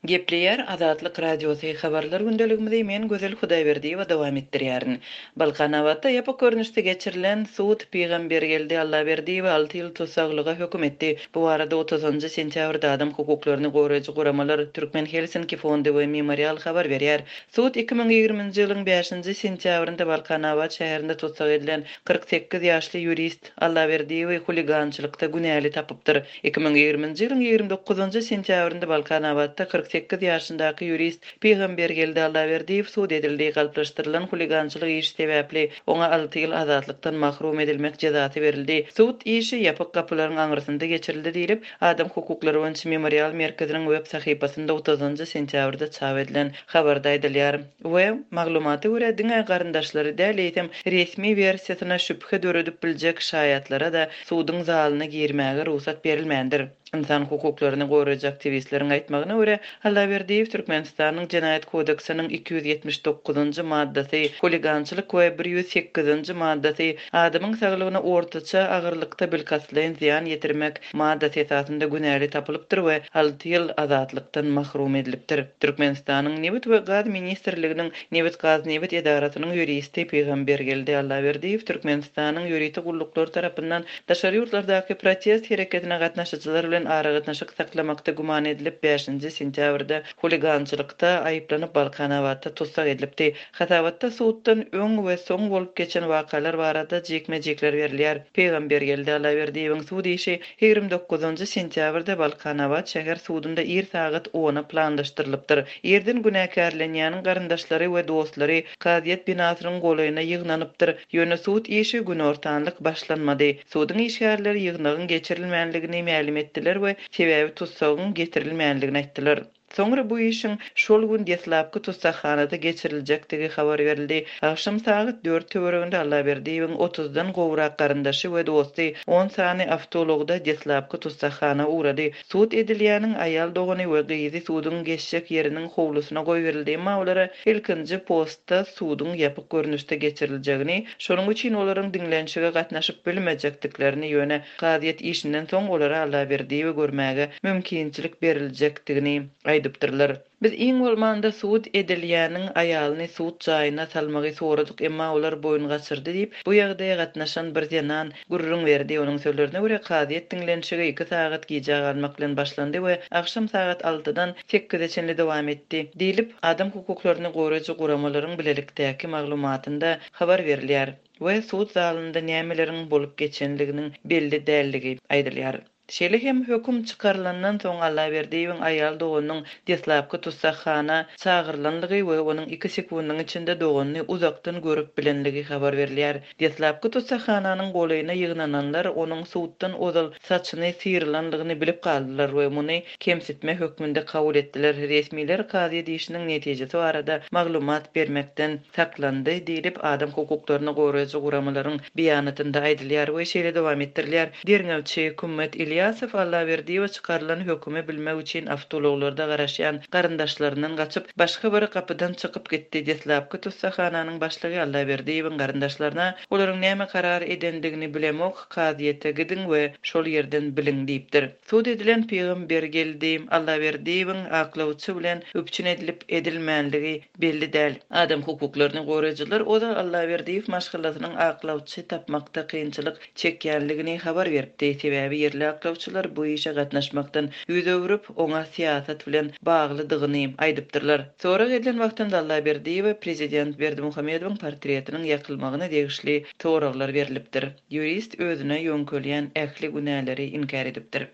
Gepleýär Azatlyk Radiosy Habarlar gündeligimizi men Gözel Hudaýberdiýewa dowam etdirýärin. Balkanabatda ýapyk görnüşde geçirilen sud Pygambergeldi Allaberdiýewi alty ýyl tussaglyga höküm etdi. Bu barada otuzynjy sentýabrda adam hukuklaryny goraýjy guramalar Türkmen Helsinki fondy we Memorial habar berýär. Sud 2020-nji ýylyň bäşinji sentýabrynda Balkanabat şäherinde tussag edilen 48 ýaşly ýurist Allaberdiýewi huligançylykda günäli tapypdyr. 2020-nji ýylyň 29-njy sentýabrynda Balkanabatda 48 ýaşyndaky ýurist Pygambergeldi Allaberdiýew sud edildi. Galplaşdyrylan huligançylyk işi sebäpli oňa alty ýyl azatlykdan mahrum edilmek jezasy berildi. Sud işi ýapyk gapylaryň aňyrsynda geçirildi diýlip, Adam hukuklary boýunça Memorial merkeziniň web sahypasynda otuzynjy sentýabrda çap edilen habarda aýdylýar we maglumata görä, diňe garyndaşlary däl, eýsem, resmi wersiýasyna şübhe döredip biljek şaýatlara-da suduň zalyna girmäge rugsat berilmändir. Ynsan hukuklaryny goraýjy aktiwistleriň aýtmagyna görä, Allaberdiýew Türkmenistanyň Jenaýat kodeksiniň 279-njy maddasy, huligançylyk we 108-nji maddasy, adamyň saglygyna ortaça agyrlykda bilkastlaýyn zyýan ýetirmek, maddasy esasynda günäli tapylypdyr we alty ýyl azatlykdan mahrum edilipdir. Türkmenistanyň Nebit we gaz ministrliginiň Nebitgaznebit edarasynyň ýuristi Pygambergeldi Allaberdiýew Türkmenistanyň ýörite gulluklary tarapyndan daşary ýurtlardaky protest hereketine gatnaşyjylar bilen aragatnaşyk saklamakda güman edilip bäşinji sentýabrda huligançylykda aýyplanyp Balkanabatda tussag edilipdi. Hasabatda suddan öň we soň bolup geçen wakalar barada jikme-jikler berilýär. Pygambergeldi Allaberdiýewiň sud işi 29-njy sentýabrda Balkanabat şäher sudunda ir sagat ona planlaşdyrylypdyr. Irden günäkärlenýäniň garyndaşlary we dostlary kazyýet binasynyň golaýyna ýygnanypdyr. Ýöne sud işi günortanlyk başlanmady. Suduň işgärleri ýygnagyň geçirilmänligini mälim etdiler we sebäbi tussagyň getirilmänligini aýtdylar. Soňra bu işiň şol gün deslapky tussaghanada geçiriljekdigi habar berildi. Agşam sagat dört töwereginde Allaberdiýewiň otuzdan gowrak garyndaşy we dosty on sany awtoulagda deslapky tussaghana ugrady. Sud edilýäniň aýal dogany we gyzy suduň geçjek ýeriniň howlusyna goýberildi, emma olara ilkinji postda suduň ýapyk görnüşde geçiriljegini, şonuň üçin olaryň diňlenişige gatnaşyp bilmejekdiklerini, ýöne Kazyýet işinden soň olara Allaberdiýewi görmäge mümkinçilik beriljekdigini aýdypdyrlar. Biz iň bolmanda sud edilýäniň aýalyny sud jaýyna salmagy soradyk, emma olar boýun gaçyrdy diýip, bu ýagdaýa gatnaşan bir zenan gürrüň berdi. Onuň sözlerine görä, kazyýet diňlenişigi iki sagat gijä galmak bilen başlandy we agşam sagat altydan sekize çenli dowam etdi, diýlip, adam hukuklaryny goraýjy guramalaryň bilelikdäki maglumatynda habar berilýär. we sud zalynda nämeleriň bolup geçenliginiň belli dälligi aýdylýar. Şeýle hem höküm çykarylandan soň Allaberdiýewiň aýal doganynyň deslapky tussaghana çagyrylanlygy we onuň iki sekundyň içinde doganyny uzakdan görüp bilenligi habar berilýär. Deslapky tussaghananyň golaýyna ýygnananlar onuň suddan ozal saçyny syrylanlygyny bilip galdylar we muny kemsitme hökmünde kabul etdiler. Resmiler kazyýet işiniň netijesi barada maglumat bermekden saklandy diýlip, adam hukuklaryny goraýjy guramalaryň beýanatynda aýdylýar we şeýle dowam etdirilýär, Derňewçi Kümmet Ilýasow Allaberdiýewe çykarylan hökümi bilmek üçin awtoulaglarda garaşýan garyndaşlaryndan gaçyp, başga bir gapydan çykyp gitdi. Deslapky tussaghananyň başlygy Allaberdiýewiň garyndaşlaryna olaryň näme karar edendigini bilemok, kazyýete gidiň we şol ýerden biliň diýipdir. Sud edilen Pygambergeldi Allaberdiýewiň aklawçy bilen üpjün edilip edilmänligi belli däl. Adam hukuklaryny goraýjylar ozal Allaberdiýew maşgalasynyň aklawçy tapmakda kynçylyk çekýänligini habar beripdi. Sebäbi ýerli aklawçylar bu işe gatnaşmakdan ýüz öwrüp, oňa syýasat bilen baglydygyny aýdypdyrlar. Sorag edilen wagtynda Allaberdiýewe prezident Berdimuhamedowyň portretiniň ýakylmagyna degişli soraglar berlipdir. Ýurist özüne ýöňkelýän ähli günäleri inkär edipdir.